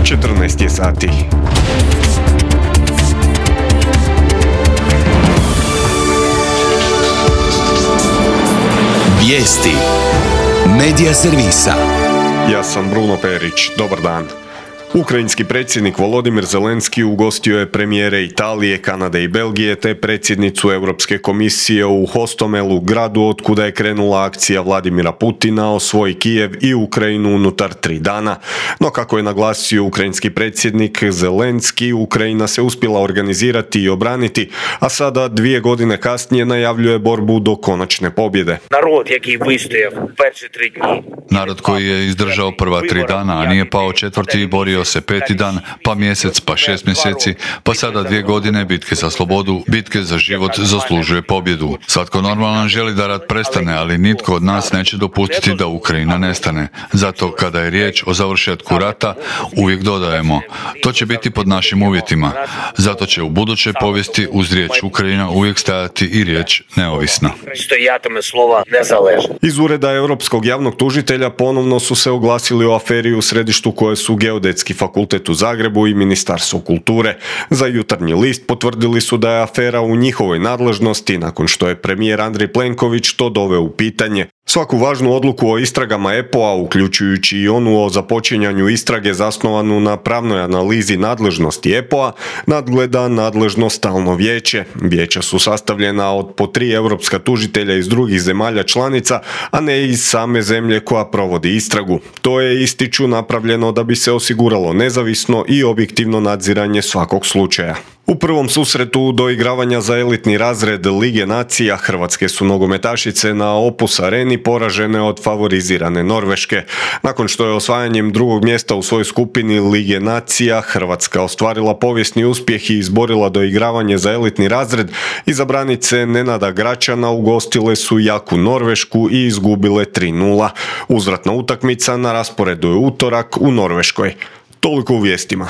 14 je sati. Vijesti Medija servisa. Ja sam Bruno Perić. Dobar dan. Ukrajinski predsjednik Volodimir Zelenski ugostio je premijere Italije, Kanade i Belgije te predsjednicu Europske komisije u Hostomelu, gradu otkuda je krenula akcija Vladimira Putina osvoji Kijev i Ukrajinu unutar 3 dana. No kako je naglasio ukrajinski predsjednik Zelenski, Ukrajina se uspjela organizirati i obraniti, a sada 2 godine kasnije najavljuje borbu do konačne pobjede. Narod koji je izdržao prva 3 dana, a nije pao četvrti i borio se 5. dan, pa mjesec, pa 6 mjeseci, pa sada 2 godine bitke za slobodu, bitke za život zaslužuje pobjedu. Svatko normalan želi da rat prestane, ali nitko od nas neće dopustiti da Ukrajina nestane. Zato kada je riječ o završetku rata, uvijek dodajemo, to će biti pod našim uvjetima. Zato će u budućoj povijesti uz riječ Ukrajina uvijek stajati i riječ neovisna. Iz ureda Europskog javnog tužitelja ponovno su se oglasili o aferi u središtu koje su Geodetski fakultet u Zagrebu i Ministarstvo kulture. Za Jutarnji list potvrdili su da je afera u njihovoj nadležnosti nakon što je premijer Andrej Plenković to doveo u pitanje. Svaku važnu odluku o istragama EPO-a, uključujući i onu o započinjanju istrage zasnovanu na pravnoj analizi nadležnosti EPO-a, nadgleda nadležno stalno vijeće. Vijeća su sastavljena od po 3 europska tužitelja iz drugih zemalja članica, a ne iz same zemlje koja provodi istragu. To je, ističu, napravljeno da bi se osiguralo nezavisno i objektivno nadziranje svakog slučaja. U prvom susretu doigravanja za elitni razred Lige nacija hrvatske su nogometašice na Opus Areni poražene od favorizirane Norveške. Nakon što je osvajanjem 2. mjesta u svojoj skupini Lige nacija Hrvatska ostvarila povijesni uspjeh i izborila doigravanje za elitni razred, izabranice Nenada Gračana ugostile su jaku Norvešku i izgubile 3:0. Uzvratna utakmica na rasporedu je utorak u Norveškoj. Toliko u vijestima.